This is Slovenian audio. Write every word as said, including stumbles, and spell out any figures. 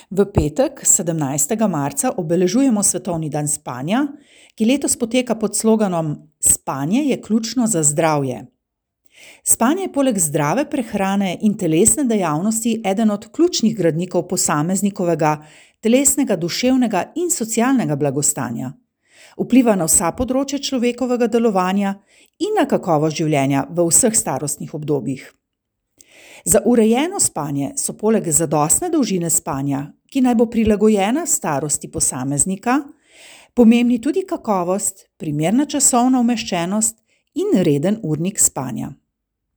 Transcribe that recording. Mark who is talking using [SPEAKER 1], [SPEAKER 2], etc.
[SPEAKER 1] V petek, sedemnajstega marca, obeležujemo Svetovni dan spanja, ki letos poteka pod sloganom Spanje je ključno za zdravje. Spanje je poleg zdrave prehrane in telesne dejavnosti eden od ključnih gradnikov posameznikovega telesnega, duševnega in socialnega blagostanja. Vpliva na vsa področja človekovega delovanja in na kakovost življenja v vseh starostnih obdobjih. Za urejeno spanje so poleg zadostne dolžine spanja, ki naj bo prilagojena starosti posameznika, pomembni tudi kakovost, primerna časovna umeščenost in reden urnik spanja.